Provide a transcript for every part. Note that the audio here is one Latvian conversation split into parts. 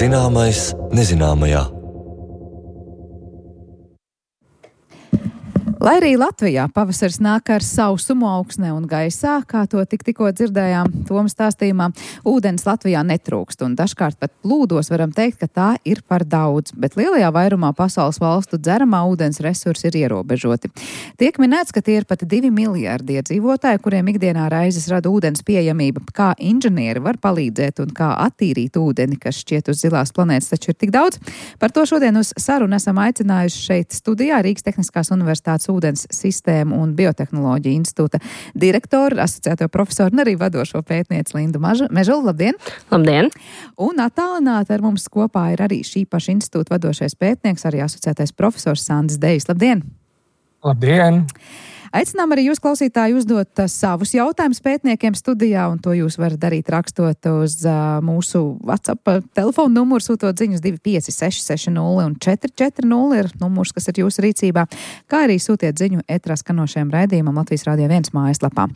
Zināmais nezināmajā. Lai arī Latvijā pavasaris nāk ar sausumu augsnē un gaisā, kā to tikko dzirdējām Toma stāstījumā, ūdens Latvijā netrūkst, un dažkārt pat plūdos varam teikt, ka tā ir par daudz, bet lielajā vairumā pasaules valstu dzeramā ūdens resursi ir ierobežoti. Tiek minēts, ka tie ir pat 2 miljārdi iedzīvotāji, kuriem ikdienā raizes rada ūdens pieejamība. Kā inženieri var palīdzēt un kā attīrīt ūdeni, kas šķiet uz zilās planētas taču ir tik daudz? Par to šodien uz sarunu esam aicinājuši šeit studijā Rīgas Tehniskās universitātes ūdens sistēmu un biotehnoloģiju institūta direktoru, asociēto profesoru un arī vadošo pētnieci Lindu Mežulu. Labdien! Labdien! Un attālināti ar mums kopā ir arī šī paša institūta vadošais pētnieks, arī asociētais profesors Sandis Dejs. Labdien! Labdien! Aicinām arī jūs, klausītāji, uzdot savus jautājumus pētniekiem studijā, un to jūs varat darīt rakstot uz mūsu WhatsApp telefonu numuru, sūtot ziņus 25660 un 440 ir numurs, kas ir jūsu rīcībā, kā arī sūtiet ziņu ētrā skanošajam raidījumam Latvijas Radio 1 mājaslapā.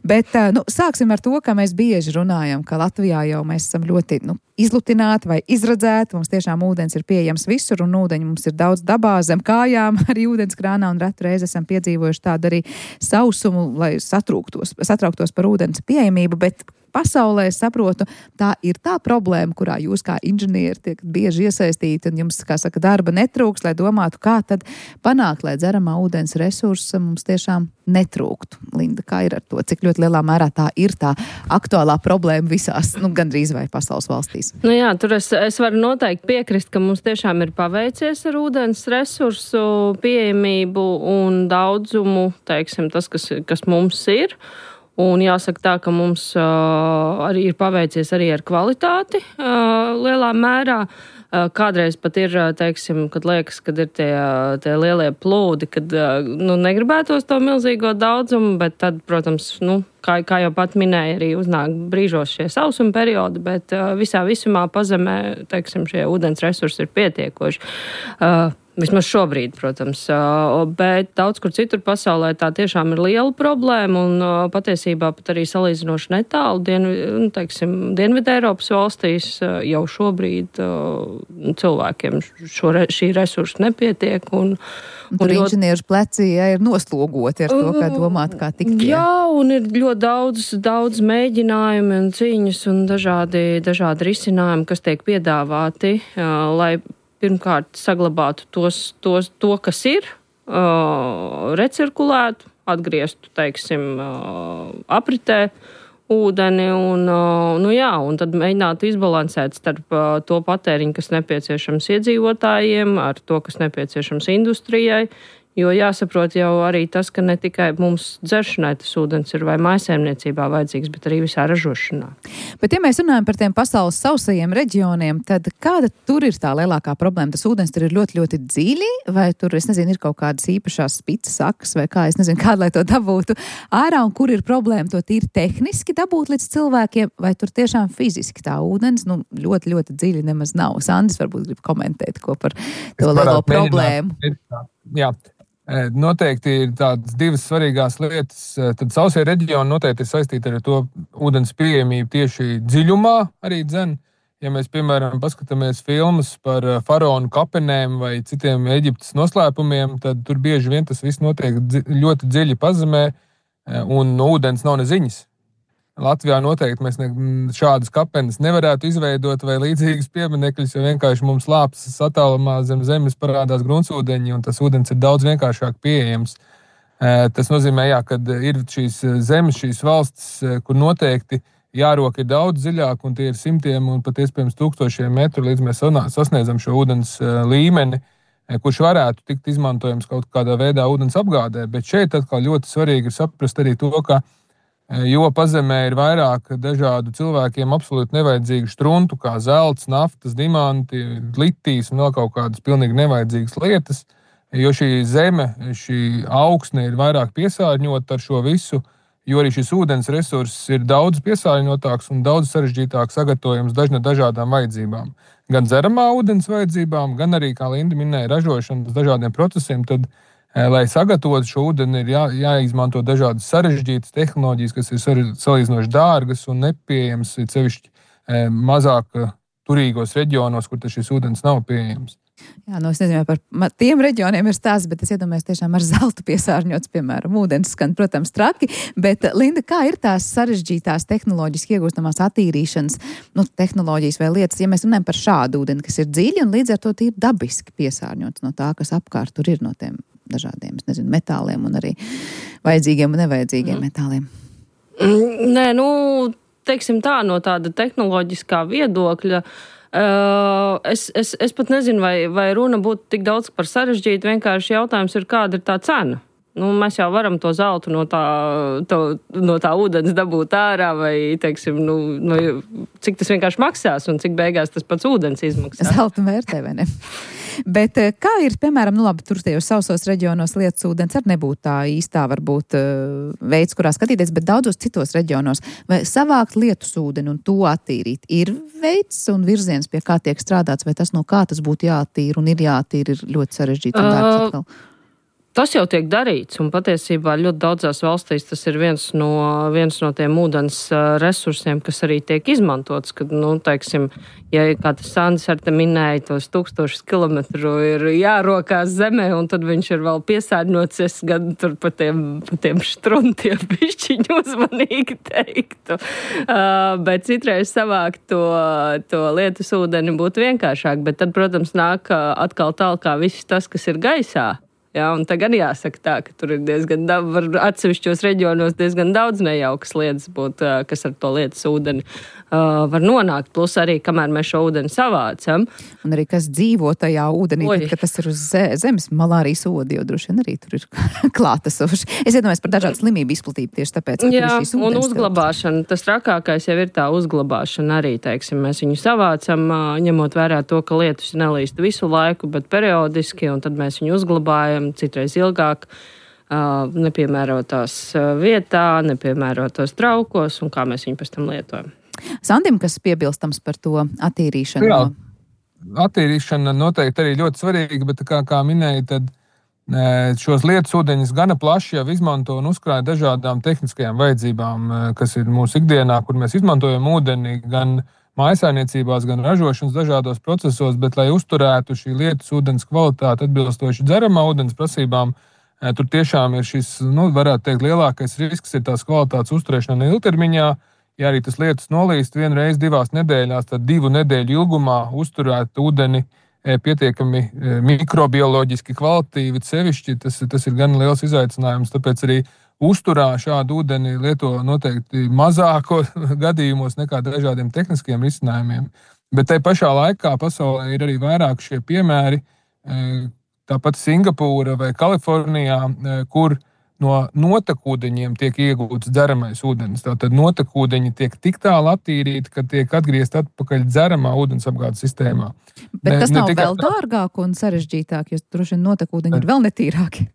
Bet, sāksim ar to, ka mēs bieži runājam, ka Latvijā jau mēs esam ļoti, izlutināti vai izradzēti, mums tiešām ūdens ir pieejams visur, un ūdeņi mums ir daudz dabā, zem kājām, arī ūdenskrānā, un retu reizi esam piedzīvojuši tādu arī sausumu, lai satrauktos par ūdens pieejamību, bet pasaulē, saprotu, tā ir tā problēma, kurā jūs kā inženieri tiek bieži iesaistīti, un jums, kā saka, darba netrūks, lai domātu, kā tad panākt, lai dzeramā ūdens resursa mums tiešām netrūktu. Linda, kā ir ar to? Cik ļoti lielā mērā tā ir tā aktuālā problēma visās, gandrīz vai pasaules valstīs? Jā, tur es varu noteikti piekrist, ka mums tiešām ir paveicies ar ūdens resursu pieejamību un daudzumu, teiksim, tas, kas mums ir. Un jāsaka tā, ka mums arī ir paveicies arī ar kvalitāti lielā mērā. Kādreiz pat ir, teiksim, kad liekas, kad ir tie lielie plūdi, kad negribētos to milzīgo daudzumu, bet tad, protams, kā jau pat minēja, arī uznāk brīžos šie sausuma periodi, bet visā visumā pazemē, teiksim, šie ūdens resursi ir pietiekoši. Vismaz šobrīd, protams, bet daudz kur citur pasaulē tā tiešām ir liela problēma un patiesībā pat arī salīdzinoši netālu Dienvidu Eiropas valstīs jau šobrīd cilvēkiem šī resursa nepietiek. Un tur inženieru pleci ir noslogoti ar to, kā domāt, kā tikt. Jā, un ir ļoti daudz mēģinājumi un cīņas un dažādi risinājumi, kas tiek piedāvāti, lai pirmkārt saglabātu to, kas ir, recirkulētu, atgrieztu, teiksim, apritē ūdeni un tad mēģinātu izbalansēt starp to patēriņu, kas nepieciešams iedzīvotājiem, ar to, kas nepieciešams industrijai. Jo jāsaprot jau arī tas, ka ne tikai mums dzeršanai tas ūdens ir vai mājsaimniecībā vajadzīgs, bet arī visā ražošanā. Bet ja mēs runājam par tiem pasaules sausajiem reģioniem, tad kāda tur ir tā lielākā problēma? Tas ūdens tur ir ļoti, ļoti dziļi, vai tur, ir kaut kādas īpašās spicas sakas, vai kā, kāda, lai to dabūtu ārā, un kur ir problēma to tīri tehniski dabūt līdz cilvēkiem, vai tur tiešām fiziski tā ūdens, ļoti, ļoti dziļi nemaz nav. Sandis varbūt grib komentēt, ko par to lielo problēmu. Jā. Noteikti ir tādas divas svarīgās lietas. Tad sausie reģioni noteikti ir saistīti ar to ūdens pieejamību tieši dziļumā arī dzen. Ja mēs, piemēram, paskatāmies filmas par faraonu kapenēm vai citiem Eģiptes noslēpumiem, tad tur bieži vien tas viss notiek ļoti dziļi pazemē un no ūdens nav neziņas. Latvijā noteikti mēs šādas kapenes nevarētu izveidot vai līdzīgas pieminekļus, jo vienkārši mums lāpstas attālumā zem zemes parādās gruntsūdeņi, un tas ūdens ir daudz vienkāršāk pieejams. Tas nozīmē, kad ir šīs zemes, šīs valstis, kur noteikti jāroka ir daudz dziļāk, un tie ir simtiem un pat iespējams tūkstošiem metru, līdz mēs sasniedzam šo ūdens līmeni, kurš varētu tikt izmantojams kaut kādā veidā ūdens apgādē. Bet šeit atkal ļoti svarīgi ir saprast arī to, ka jo pazemē ir vairāk dažādu cilvēkiem absolūti nevajadzīgu štruntu, kā zelts, naftas, dimanti, litijas un vēl kaut kādas pilnīgi nevajadzīgas lietas, jo šī zeme, šī augsne ir vairāk piesārņota ar šo visu, jo arī šis ūdens resurss ir daudz piesārņotāks un daudz sarežģītāk sagatavojams dažādām vajadzībām. Gan dzeramā ūdens vajadzībām, gan arī, kā Linda minēja, ražošanas dažādiem procesiem, tad lai sagatavotu šo ūdeni, ir jāizmanto dažādas sarežģītas tehnoloģijas, kas ir salīdzinoši dārgas un nepieejamas, sevišķi mazāk turīgos reģionos, kur šis ūdens nav pieejams. Jā, es nezinu, par tiem reģioniem ir stāsts, bet es iedomājos tiešām ar zeltu piesārņots, piemēram, ūdens skan, protams, traki, bet, Linda, kā ir tās sarežģītās tehnoloģiski iegūstamās attīrīšanas, tehnoloģijas vai lietas, ja mēs runājam par šādu ūdeni, kas ir dziļi un līdz ar to ir dabiski piesārņots no tā, kas apkārt tur ir no tiem dažādiem, metāliem un arī vajadzīgiem un nevajadzīgiem metāliem? Nē, teiksim tā, no tāda tehnoloģiskā viedokļa, es pat nezinu, vai runa būtu tik daudz par sarežģītu, vienkārši jautājums ir, kāda ir tā cena. Mēs jau varam to zeltu no tā ūdens dabūt ārā, vai, teiksim, cik tas vienkārši maksās un cik beigās tas pats ūdens izmaksā. Zelta vērtē, vai ne? Bet kā ir, piemēram, tur tajos sausos reģionos lietas ūdens ar nebūtu tā īstā, varbūt, veids, kurā skatīties, bet daudzos citos reģionos, vai savākt lietus ūdeni un to attīrīt, ir veids un virziens, pie kā tiek strādāts, vai tas no kā tas būtu jāattīra un ir jāattīra, ir ļoti sarežģīti un dārgs atkal? Tas jau tiek darīts, un patiesībā ļoti daudzās valstīs tas ir viens no tiem ūdens resursiem, kas arī tiek izmantots, kad, teiksim, ja kā tas Sandis ar te minēja, tos 1000 kilometru ir jārokās zemē, un tad viņš ir vēl piesārņots, es gan tur pa tiemštruntiem bišķiņu uzmanīgi teiktu. Bet citreiz savākt to lietus ūdeni būtu vienkāršāk, bet tad, protams, nāk atkal tālāk viss tas, kas ir gaisā. Jā, un tagad jāsaka tā, ka tur ir diezgan atsevišķos reģionos diezgan daudz nejaukas lietas būt, kas ar to lietas ūdeni var nonākt. Plus arī, kamēr mēs šo ūdeni savācam. Un arī kas dzīvo tajā ūdenī, tad, kad tas ir uz zemes, malārijas odi, jo droši vien arī tur ir klātesoši. Es iedomājos par dažādu slimību izplatību tieši tāpēc, ka tur ir šīs ūdens. Un uzglabāšana, tas trakākais jau ir tā uzglabāšana arī, teiksim, mēs viņu savācam, ņemot vērā to, ka lietus nelīst visu laiku, bet periodiski, un tad mēs viņu uzglabājam citreiz ilgāk, nepiemērotās vietā, nepiemērotos traukos, un kā mēs viņu pēc tam lietojam. Sandim, kas piebilstams par to attīrīšanu? Jā, attīrīšana noteikti arī ļoti svarīga, bet kā minēja, tad šos lietus ūdeņus gana plaši jau izmanto un uzkrāja dažādām tehniskajām vajadzībām, kas ir mūsu ikdienā, kur mēs izmantojam ūdeni gan mājsaimniecībās, gan ražošanas dažādos procesos, bet, lai uzturētu šī lietus ūdens kvalitāti atbilstoši dzeramā ūdens prasībām, tur tiešām ir šis, varētu teikt, lielākais risks ir tās kvalitātes uzturēšana ilgtermiņā. Ja arī tas lietus nolīst vienreiz 2 nedēļās, tad 2 nedēļu ilgumā uzturēt ūdeni pietiekami mikrobioloģiski kvalitīvi sevišķi, tas ir gan liels izaicinājums, tāpēc arī uzturā šādu ūdeni lieto noteikti mazāko gadījumos nekā dažādiem tehniskiem risinājumiem. Bet tai pašā laikā pasaulē ir arī vairāk šie piemēri, tāpat Singapūra vai Kalifornijā, kur no notekūdeņiem tiek iegūts dzeramais ūdens. Tātad notekūdeņi tiek tik tālu attīrīti, ka tiek atgriezt atpakaļ dzeramā ūdensapgādes sistēmā. Bet tas nav vēl dārgāk un sarežģītāk, jo droši vien notekūdeņi ir vēl netīrāki.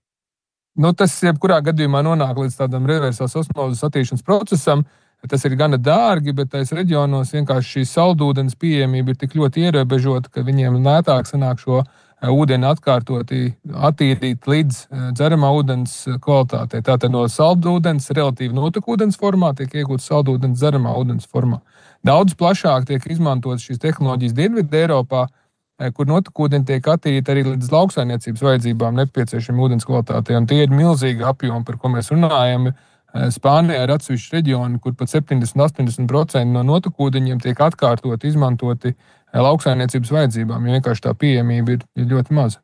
Tas jebkurā gadījumā nonāk līdz tādam reversās osmozes attīrīšanas procesam. Tas ir gana dārgi, bet tais reģionos vienkārši šī saldūdens pieejamība ir tik ļoti ierobežota, ka viņiem lētāk sanāk šo ūdeni atkārtoti attīrīt līdz dzeramā ūdens kvalitātei. Tātad no saldūdens, relatīvi notekūdens formā, tiek iegūts saldūdens dzeramā ūdens formā. Daudz plašāk tiek izmantotas šīs tehnoloģijas Dienvidu Eiropā, kur notekūdeņi tiek attīrīti arī līdz lauksaimniecības vajadzībām nepieciešami ūdens kvalitātei. Un tie ir milzīgi apjomi, par ko mēs runājam. Spānijā ir atsevišķi reģioni, kur pat 70–80% no notekūdeņiem tiek atkārtoti izmantoti lauksaimniecības vajadzībām, jo vienkārši tā pieejamība ir ļoti maza.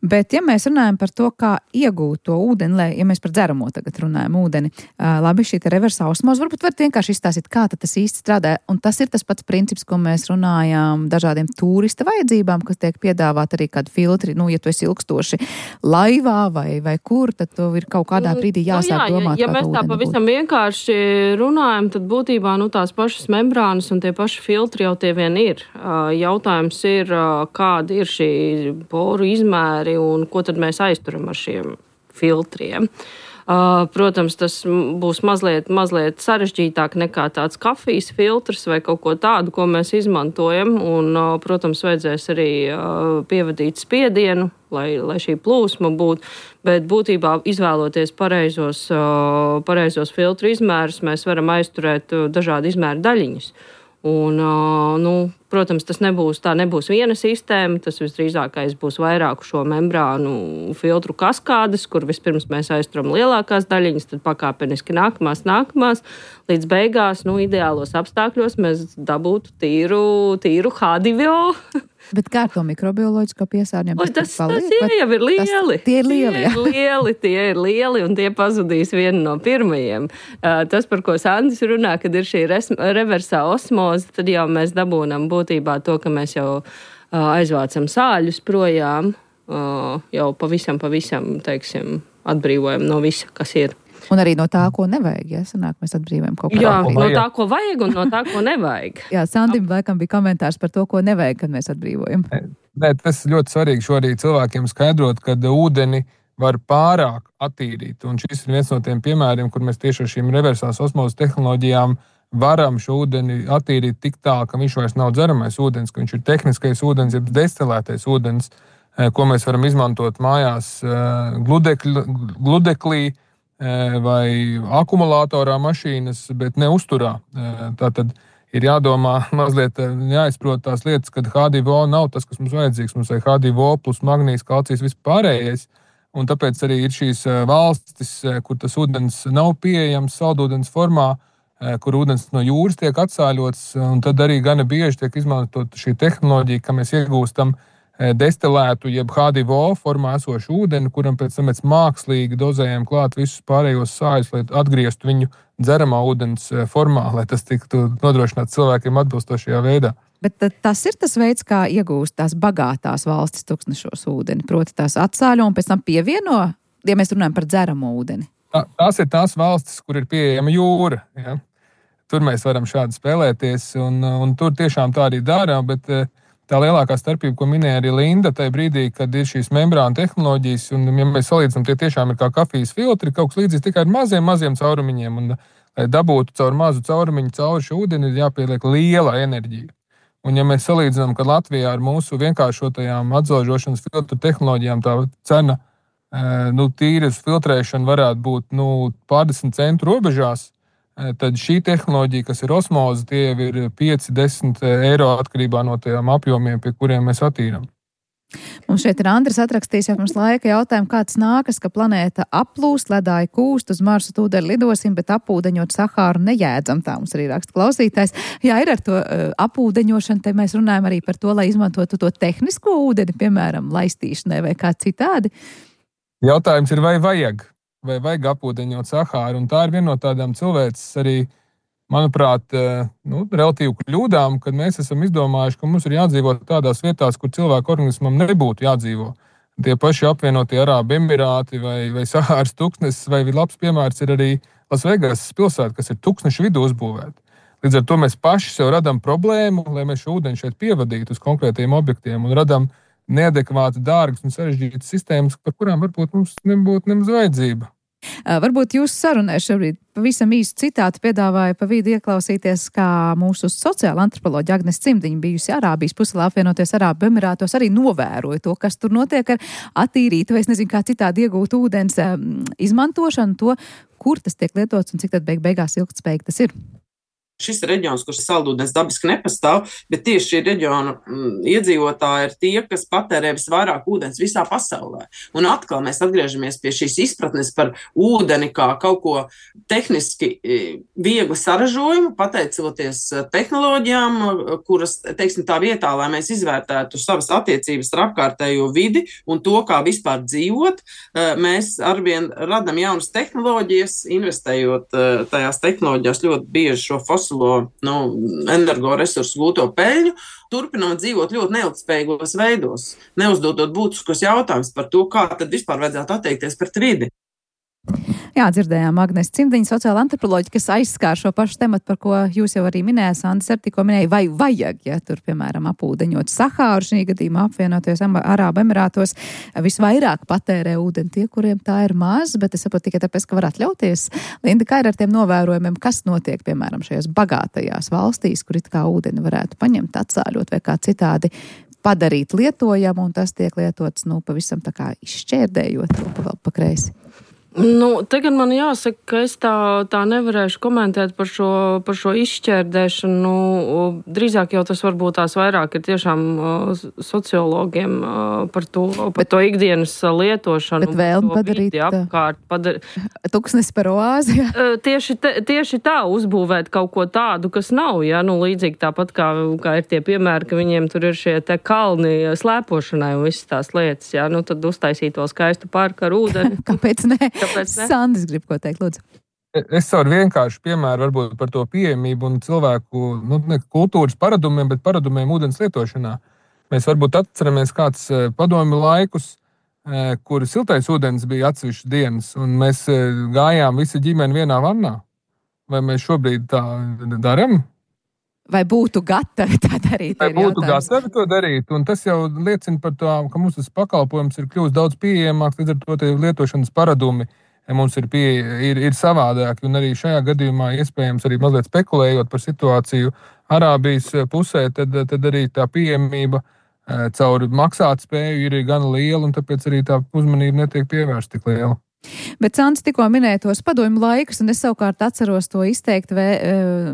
Bet, ja mēs runājam par to, kā iegūt to ūdeni, ja mēs par dzeramo tagad runājam ūdeni, labi, šī reversā osmoze, varbūt varat vienkārši izstāstīt, kā tas īsti strādā, un tas ir tas pats princips, ko mēs runājām dažādiem turista vajadzībām, kas tiek piedāvāt arī kādi filtri, ja tu esi ilgstoši laivā vai kur, tad to ir kaut kādā brīdī jāsāk domāt. Ja mēs tā pavisam vienkārši runājam, tad būtībā tās pašas membrānas un tie paši filtri jau tie vien ir. Jautājums ir, kādi ir šī poru izmēri un ko tad mēs aizturam ar šiem filtriem. Protams, tas būs mazliet sarežģītāk nekā tāds kafijas filtrs vai kaut ko tādu, ko mēs izmantojam. Un, protams, vajadzēs arī pievadīt spiedienu, lai šī plūsma būtu. Bet būtībā izvēloties pareizos filtru izmērus, mēs varam aizturēt dažādu izmēru daļiņus. Un, protams, tā nebūs viena sistēma, tas visdrīzākais būs vairāku šo membrānu filtru kaskādes, kur vispirms mēs aizturam lielākās daļiņas, tad pakāpeniski nākamās, līdz beigās, ideālos apstākļos mēs dabūtu tīru H2O. Bet kā ar to mikrobioloģisko piesārņojumu? Tas jau ir lieli. Tie ir lieli, un tie pazudīs vienu no pirmajiem. Tas, par ko Sandis runā, kad ir šī reversā osmoze, tad jau mēs dabūnam būtībā to, ka mēs jau aizvācam sāļus projām, jau pavisam, teiksim, atbrīvojam no visa, kas ir. Un arī no tā, ko nevajag, ja sanāk, mēs atbrīvojam kaut ko. Jā, no tā, ko vajag un no tā, ko nevajag. Jā, Sandim laikam bija komentārs par to, ko nevajag, kad mēs atbrīvojam. Nē, tas ļoti svarīgi šorīt cilvēkiem skaidrot, kad ūdeni var pārāk attīrīt. Un šis ir viens no tiem piemēriem, kur mēs tieši ar šīm reversās osmozes tehnoloģijām varam šo ūdeni attīrīt tik tā, ka viņš vairs nav dzeramais ūdens, ka viņš ir tehniskais ūdens, jeb destilētais ūdens, ko mēs varam izmantot mājās gludeklī, vai akumulatorā mašīnas, bet ne uzturā. Tātad ir jādomā mazliet, jāizprot tās lietas, kad H2O nav tas, kas mums vajadzīgs. Mums vajag H2O plus magnīs, kalcijs, vispārējais. Un tāpēc arī ir šīs valstis, kur tas ūdens nav pieejams saldūdens formā, kur ūdens no jūras tiek atsāļots, un tad arī gana bieži tiek izmantot šī tehnoloģija, ka mēs iegūstam destilētu, jeb H2O formā esošu ūdeni, kuram pēc tam mēs mākslīgi dozējam klāt visus pārējos sāļus, lai atgrieztu viņu dzeramā ūdens formā, lai tas tiktu nodrošināts cilvēkiem atbilstošajā veidā. Bet tas ir tas veids, kā iegūst tās bagātās valstis tuksnešos ūdeni, proti tās atsāļo un pēc tam pievieno, ja mēs runājam par dzeramo ūdeni. Tās ir tās valstis, kur ir pieejama jūra. Ja? Tur mēs varam šādi spēlēties, un tur tiešām tā arī dara, bet tā lielākā starpība, ko minēja arī Linda, tajā brīdī, kad ir šīs membrāna tehnoloģijas, un ja mēs salīdzinām, tie tiešām ir kā kafijas filtri, kaut kas līdzīgs tikai ar maziem caurumiņiem, un lai dabūtu caur mazu caurumiņu cauri šo ūdeni, ir jāpieliek liela enerģija. Un ja mēs salīdzinām, ka Latvijā ar mūsu vienkāršotajām atzalžošanas filtru tehnoloģijām tā cena, tīras filtrēšana varētu būt pārdesmit centu robežās, tad šī tehnoloģija, kas ir osmoze, tie ir 5-10 eiro atkarībā no tiem apjomiem, pie kuriem mēs attīram. Mums šeit ir Andris atrakstījis jau pirms laika jautājumu, kāds nākas, ka planēta aplūst, ledāji kūst, uz Marsu tūdeni lidosim, bet apūdeņot Sahāru nejēdzam, tā mums arī raksta klausītājs. Jā, ir ar to apūdeņošanu, te mēs runājam arī par to, lai izmantotu to tehnisko ūdeni, piemēram, laistīšanai vai kā citādi. Jautājums ir, vai vajag apūdeņot Sahāru, un tā ir viena no tādām cilvēces arī, manuprāt, relatīvi kļūdām, kad mēs esam izdomājuši, ka mums ir jādzīvo tādās vietās, kur cilvēku organismam nebūtu jādzīvo. Tie paši apvienotie Arābu Emirāti vai Sahāras tuksnesis, vai labs piemērs ir arī Lasvegasas pilsēta, kas ir tuksnešu vidū uzbūvēta. Līdz ar to mēs paši sev radam problēmu, lai mēs šo ūdeni šeit pievadītu uz konkrētiem objektiem un radam neadekvāti dārgas un sarežģītas sistēmas, par kurām varbūt mums nebūtu nemaz vajadzība. Varbūt jūsu sarunai šobrīd pavisam īsu citātu piedāvāja pa vidu ieklausīties, kā mūsu sociāla antropoloģa Agnese Cimdiņa, bijusi Arābijas puselā apvienoties Arābu Emirātos, arī novēroja to, kas tur notiek ar attīrītu, vai es nezinu, kā citādi iegūt ūdens izmantošanu, to, kur tas tiek lietots un cik tad beigās ilgtspējīgi tas ir. Šis ir reģions, kurš saldūdens dabiski nepastāv, bet tieši šī reģiona iedzīvotāji ir tie, kas patērē visvairāk ūdens visā pasaulē. Un atkal mēs atgriežamies pie šīs izpratnes par ūdeni kā kaut ko tehniski viegli saražojumu, pateicoties tehnoloģijām, kuras, teiksim, tā vietā, lai mēs izvērtētu savas attiecības ar apkārtējo vidi un to, kā vispār dzīvot, mēs arvien radam jaunas tehnoloģijas, investējot tajās tehnoloģijās ļoti bieži šo energoresursu gūto peļņu, turpinam dzīvot ļoti neilgtspējīgos veidos, neuzdodot būtiskos jautājumus par to, kā tad vispār vajadzētu attiekties pret vidi. Jā, dzirdējām Agnese Cimdiņa, sociāla antropoloģija, kas aizskār šo pašu tematu, par ko jūs jau arī minējāt, Andis arī tikko minēja, vai vajag, ja tur, piemēram, apūdeņot Sahāru, šī gadījumā apvienoties Arābu Emirātos, visvairāk patērē ūdeni tie, kuriem tā ir maz, bet es saprotu tikai tāpēc, ka var atļauties. Linda, kā ir ar tiem novērojumiem, kas notiek, piemēram, šajās bagātajās valstīs, kur it kā ūdeni varētu paņemt, atsāļot vai kā citādi padarīt lietojamu, un tas tiek lietots, pavisam tā kā izšķērdējot to vēl pa kreisi? Tagad man jāsaka, ka es tā nevarēšu komentēt par šo izšķērdēšanu. Drīzāk jau tas varbūt tās vairāk ir tiešām sociologiem par to ikdienas lietošanu. Bet vēlmi padarīt tuksnes par oāzi. Tieši tā uzbūvēt kaut ko tādu, kas nav. Ja? Līdzīgi tāpat kā ir tie piemēri, ka viņiem tur ir šie te kalni slēpošanai un visas tās lietas. Ja? Tad uztaisīt to skaistu parku ar ūdeni. Kāpēc ne? Sandis grib ko teikt, lūdzu. Es savu vienkāršu piemēru varbūt par to pieejamību un cilvēku ne kultūras paradumiem, bet paradumiem ūdens lietošanā. Mēs varbūt atceramies kāds padomju laikus, kur siltais ūdens bija atsevišķas dienas, un mēs gājām visi ģimeni vienā vannā. Vai mēs šobrīd tā daram? Vai būtu gatavi tā darīt? Vai būtu gatavi to darīt? Un tas jau liecina par to, ka mums tas pakalpojums ir kļūst daudz pieejamāks, līdz ar to lietošanas paradumi mums ir savādāki. Un arī šajā gadījumā, iespējams, arī mazliet spekulējot par situāciju Arābijas pusē, tad arī tā pieejamība caur maksātspēju ir gan liela, un tāpēc arī tā uzmanība netiek pievērsta tik liela. Bet Sandis tikko minēja tos padomju laikus, un es savukārt atceros to izteikti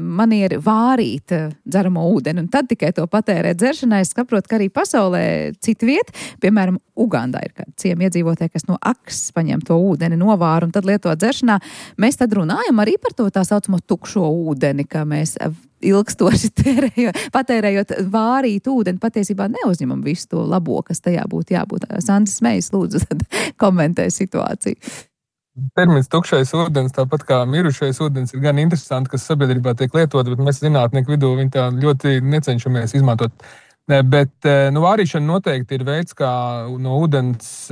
manieri vārīt dzeramo ūdeni, un tad tikai to patērēt dzeršanai. Es saprotu, ka arī pasaulē citu vietu, piemēram, Ugandā ir kādi ciemi iedzīvotāji, kas no akas paņem to ūdeni, novāra un tad lieto dzeršanā. Mēs tad runājam arī par to tā saucamo tukšo ūdeni, ka mēs ilgstoši patērējot vārīt ūdeni, patiesībā neuzņemam visu to labo, kas tajā būtu jābūt. Sandis Smejs, lūdzu, tad komentē situāciju. Termins tukšais ūdens, tāpat kā mirušais ūdens, ir gan interesanti, kas sabiedrībā tiek lietot, bet mēs zinātnieku vidū viņi tā ļoti necenšamies izmantot. Bet vārīšana noteikti ir veids, kā no ūdens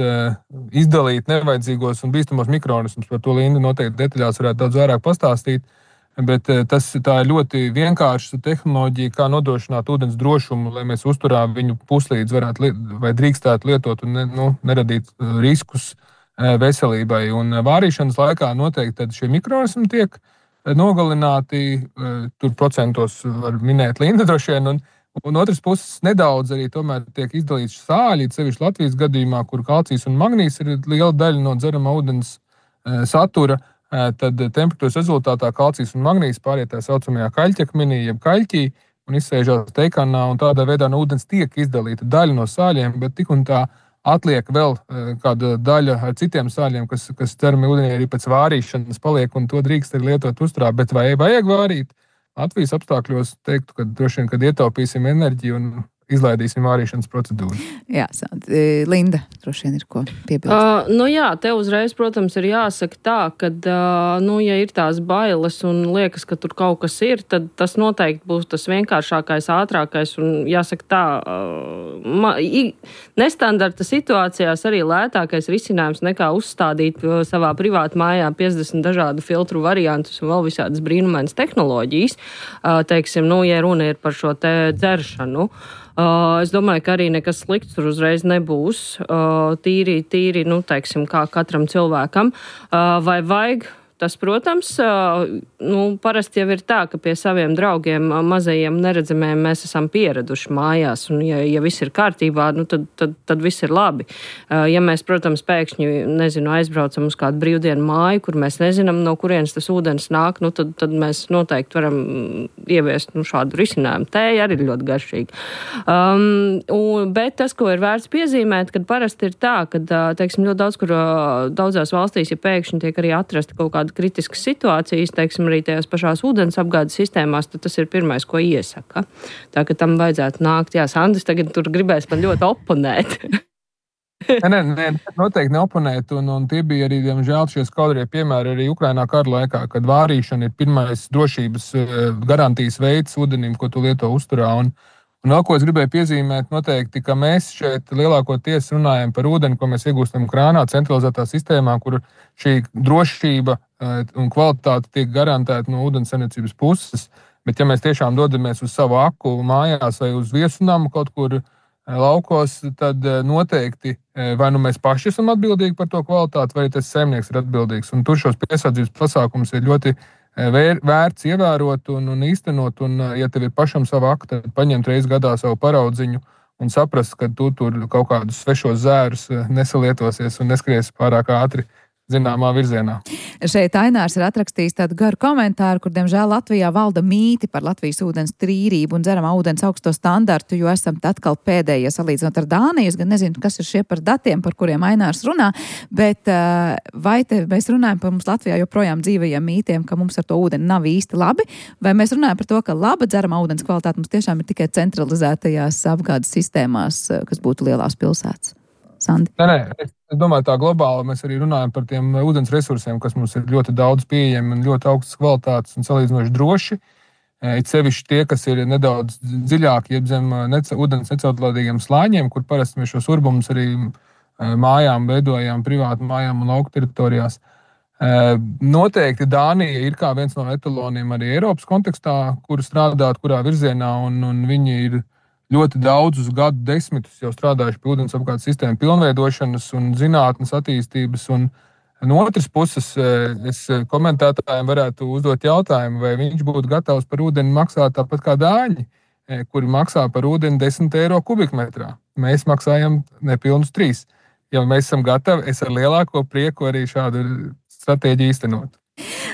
izdalīt nevajadzīgos un bīstamos mikroorganismus. Par to Linda noteikti detaļās varētu daudz vairāk pastāstīt. Bet tā ir ļoti vienkārša tehnoloģija, kā nodrošināt ūdens drošumu, lai mēs uzturā viņu puslīdz varētu vai drīkstētu lietot un neradīt riskus veselībai. Un vārīšanas laikā noteikti šie mikroorganismi tiek nogalināti, tur procentos var minēt Linda droši vien, un otras puses nedaudz arī tomēr tiek izdalīts sāļi, sevišķi Latvijas gadījumā, kur kalcijs un magnīs ir liela daļa no dzeramā ūdens satura. Tad temperatūras rezultātā kalcijs un magnīs pāriet tā saucamajā kaļķakmenī, jeb kaļķī, un izsēžās teikanā, un tādā veidā no ūdens tiek izdalīta daļa no sāļiem, bet tik un tā atliek vēl kāda daļa ar citiem sāļiem, kas dzeramajā ūdenī arī pēc vārīšanas paliek, un to drīkst arī lietot uzturā. Bet vai vajag vārīt? Latvijas apstākļos teiktu, ka droši vien, kad ietaupīsim enerģiju un izlaidīsim vārīšanas procedūru. Jā, Linda, droši vien ir ko piebilst. Jā, te uzreiz, protams, ir jāsaka tā, ka, ja ir tās bailes un liekas, ka tur kaut kas ir, tad tas noteikti būs tas vienkāršākais, ātrākais un, jāsaka tā, nestandarta situācijās arī lētākais risinājums nekā uzstādīt savā privāta mājā 50 dažādu filtru variantus un vēl visādas brīnumainas tehnoloģijas. Teiksim, ja runa ir par šo te dzeršanu. Es domāju, ka arī nekas slikts tur uzreiz nebūs. Tīri, teiksim, kā katram cilvēkam. Vai vajag? Tas, protams, parasti jau ir tā, ka pie saviem draugiem mazajiem neredzamiem mēs esam pieraduši mājās, un ja viss ir kārtībā, tad viss ir labi. Ja mēs, protams, pēkšņi, aizbraucam uz kādu brīvdienu māju, kur mēs nezinām, no kurienes tas ūdens nāk, tad mēs noteikti varam ieviest šādu risinājumu. Tēja arī ir ļoti garšīga. Bet tas, ko ir vērts piezīmēt, kad parasti ir tā, ka, teiksim, ļoti daudz, kur daudzās valstīs, ja pēkšņi tiek arī atrasta kaut kāda kritiskas situācijas, teiksim, arī tajās pašās ūdens apgādes sistēmās, tad tas ir pirmais, ko iesaka. Tā, ka tam vajadzētu nākt. Jā, Sandis tagad tur gribēs man ļoti oponēt. Nē, noteikti neoponēt, un tie bija arī, diemžēl, šie skaudrie piemēri arī Ukrainā kara laikā, kad vārīšana ir pirmais drošības garantijas veids ūdenim, ko tu lieto uzturā. Un vēl ko es gribēju piezīmēt, noteikti, ka mēs šeit lielākoties runājam par ūdeni, ko mēs iegūstam krānā, centralizētā sistēmā, kur šī drošība un kvalitāte tiek garantēta no ūdenssaimniecības puses. Bet ja mēs tiešām dodamies uz savu aku mājās vai uz viesunamu kaut kur laukos, tad noteikti vai mēs paši esam atbildīgi par to kvalitāti, vai tas saimnieks ir atbildīgs. Un tur šos piesardzības pasākumus ir ļoti vērts ievērot un īstenot, un ja tev ir pašam sava aka, tad paņemt reizi gadā savu paraudziņu un saprast, ka tu tur kaut kādus svešos zērus nesalietosies un neskries pārāk ātri zināmā virzienā. Šeit Ainārs ir atrakstījis tādu garu komentāru, kur, diemžēl, Latvijā valda mīti par Latvijas ūdens tīrību un dzeramā ūdens augsto standartu, jo esam atkal pēdējie salīdzinot ar Dāniju. Es gan nezinu, kas ir šie par datiem, par kuriem Ainārs runā, bet vai te mēs runājam par mums Latvijā joprojām dzīvajiem mītiem, ka mums ar to ūdeni nav īsti labi, vai mēs runājam par to, ka laba dzeramā ūdens kvalitāte mums tiešām ir tikai centralizētajās apgādes sistēmās, kas būtu lielās pilsētas? Sandi? Nē, es domāju, tā globāli mēs arī runājam par tiem ūdens resursiem, kas mums ir ļoti daudz pieejami un ļoti augstas kvalitātes un salīdzinoši droši. It sevišķi tie, kas ir nedaudz dziļāki, jeb zem ūdens necaurlaidīgiem slāņiem, kur parasti mēs šos urbumus arī mājām veidojām, privātu mājām un lauku teritorijās. Noteikti Dānija ir kā viens no etaloniem arī Eiropas kontekstā, kur strādāt, kurā virzienā, un viņi ir ļoti daudzus gadu desmitus jau strādājuši pie ūdens apgādes sistēmu pilnveidošanas un zinātnes attīstības. Un no otras puses, es komentētājiem varētu uzdot jautājumu, vai viņš būtu gatavs par ūdeni maksāt tāpat kā dāņi, kuri maksā par ūdeni 10 eiro kubikmetrā. Mēs maksājam nepilnus 3. Ja mēs esam gatavi, es ar lielāko prieku arī šādu stratēģiju īstenot.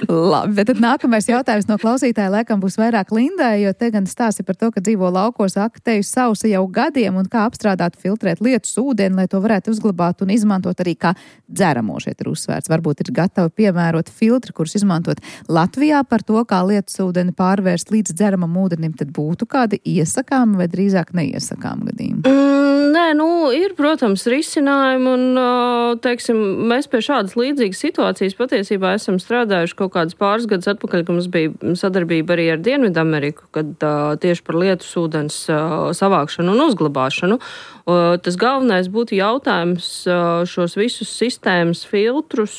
Labi, bet tad nākamais jautājums no klausītāja laikam būs vairāk Lindai, jo te gan stāsti par to, ka dzīvo laukos, akteju sausa jau gadiem un kā apstrādāt, filtrēt lietus ūdeni, lai to varētu uzglabāt un izmantot arī kā dzeramo. Šeit ir uzsvērts. Varbūt ir gatavi piemērot filtri, kurus izmantot Latvijā par to, kā lietus ūdeni pārvērst līdz dzeramam ūdenim, tad būtu kādi iesakāmi vai drīzāk neiesakāmi gadījumi? Nē, ir, protams, risinājumi un, teiksim, mēs pie šādas līdzīgas situācijas patiesībā esam strādājuši kaut kādus pāris gadus atpakaļ, ka mums bija sadarbība arī ar Dienvidameriku, kad tieši par lietus ūdens savākšanu un uzglabāšanu. Tas galvenais būtu jautājums šos visus sistēmas filtrus,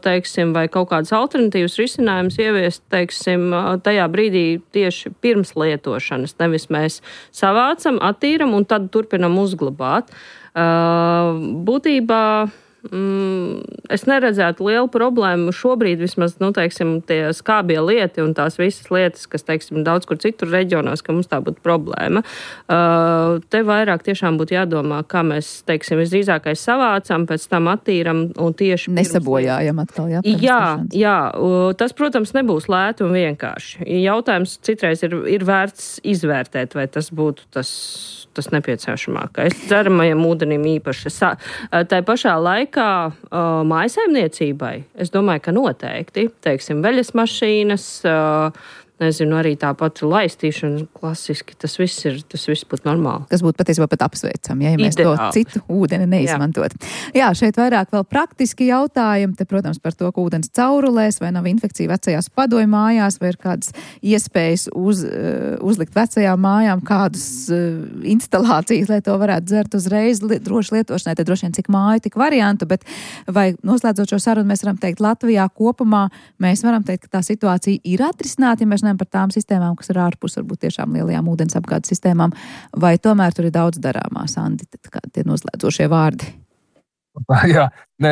teiksim, vai kaut kādas alternatīvas risinājumus ieviest, teiksim, tajā brīdī tieši pirms lietošanas. Nevis mēs savācam, attīram un tad turpinam uzglabāt. Būtībā es neredzētu lielu problēmu šobrīd vismaz, teiksim, tie skābie lieti un tās visas lietas, kas, teiksim, daudz kur citur reģionos, ka mums tā būtu problēma. Te vairāk tiešām būtu jādomā, kā mēs, teiksim, visdrīzākais savācam, pēc tam attīram un tieši nesabojājam atkal, jā, tas, protams, nebūs lēti un vienkārši. Jautājums citreiz ir vērts izvērtēt, vai tas būtu tas nepieciešamākais. Dzeramajam ūdenim īpaši. Tā pašā laikā mājsaimniecībai, es domāju, ka noteikti, teiksim, veļas mašīnas, nezinu, arī tāpat laistīšana klasiski, tas viss būtu normāli. Tas būtu patiesībā pat apsveicami, ja mēs to citu ūdeni neizmantot. Jā, šeit vairāk vēl praktiski jautājumi, te, protams, par to, ka ūdens caurulēs, vai nav infekcija vecajās padomju mājās, vai ir kādas iespējas uzlikt vecajām mājām kādus instalācijas, lai to varētu dzert uzreiz droši lietošanai, te droši vien cik māju, tik variantu, bet vai noslēdzot šo sarunu, mēs varam teikt, Latvijā kopumā mēs varam teikt, ka tā situācija ir atrisināta, ja mēs par tām sistēmām, kas ir ārpus, varbūt tiešām lielajām ūdens apgādes sistēmām, vai tomēr tur ir daudz darāmā, Sandi, kādi tie noslēdzošie vārdi? Jā,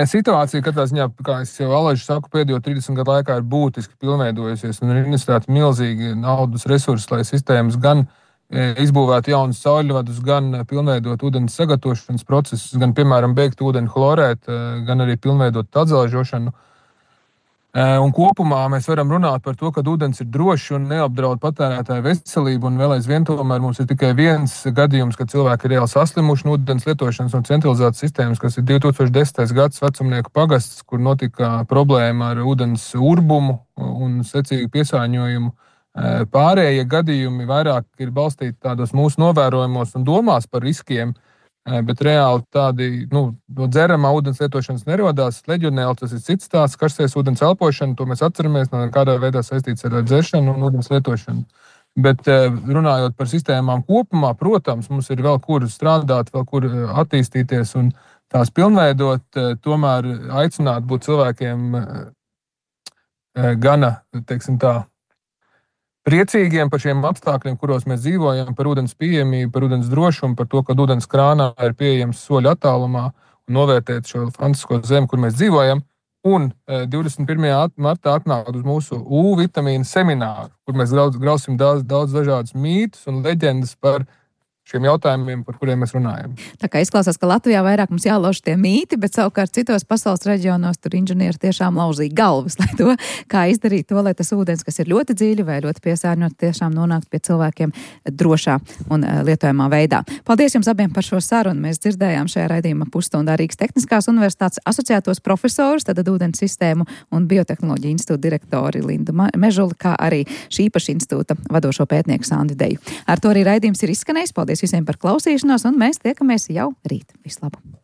situācija, katrā ziņā, kā es jau alaži saku, pēdējo 30 gadu laikā ir būtiski pilnveidojusies un ir investēti milzīgi naudas resursi, lai sistēmas gan izbūvētu jaunas sauļvadus, gan pilnveidot ūdens sagatavošanas procesus, gan, piemēram, beigt ūdeni chlorēt, gan arī pilnveidot atzelžošanu. Un kopumā mēs varam runāt par to, ka ūdens ir drošs un neapdraud patērētāju veselību, un vēl aizvien tomēr mums ir tikai viens gadījums, kad cilvēki ir reāli saslimuši no ūdens lietošanas un centralizētas sistēmas, kas ir 2010. gads Vecumnieku pagasts, kur notika problēma ar ūdens urbumu un secīgu piesārņojumu. Pārējie gadījumi vairāk ir balstīti tādos mūsu novērojumos un domās par riskiem, bet reāli tādi, no dzeramā ūdens lietošanas nerodās. Leģionēli tas ir cits stāsts, karstais ūdens elpošana, to mēs atceramies, kādā veidā saistīts ar dzeršanu un ūdens lietošanu. Bet runājot par sistēmām kopumā, protams, mums ir vēl kur strādāt, vēl kur attīstīties un tās pilnveidot, tomēr aicināt būt cilvēkiem gana, teiksim tā, priecīgiem par šiem apstākļiem, kuros mēs dzīvojam, par ūdens pieejamību, par ūdens drošumu, par to, ka ūdens krānā ir pieejams soļu attālumā un novērtēt šo fantastisko zemi, kur mēs dzīvojam. Un 21. martā atnākt uz mūsu U vitamīnu semināru, kur mēs grausim daudz dažādas mītus un leģendas par šiem jautājumiem, par kuriem mēs runājam. Tā kā izklausās, ka Latvijā vairāk mums jālauž tie mīti, bet savukārt citos pasaules reģionos tur inženieri tiešām lauzīja galvas, lai to, kā izdarīt to, lai tas ūdens, kas ir ļoti dziļi vai ļoti piesārņot, tiešām nonākt pie cilvēkiem drošā un lietojamā veidā. Paldies jums abiem par šo sarunu. Mēs dzirdējām šajā raidījuma pusstundā Rīgas Tehniskās universitātes asociētos profesorus, tad ūdens sistēmu un biotehnoloģiju institūta direktori Lindu Mežuli, kā arī šī paša institūta vadošo pētnieku Sandu Deju. Ar to arī raidījums ir izskanējis. Paldies visiem par klausīšanos, un mēs tiekamies jau rīt. Vislabāk!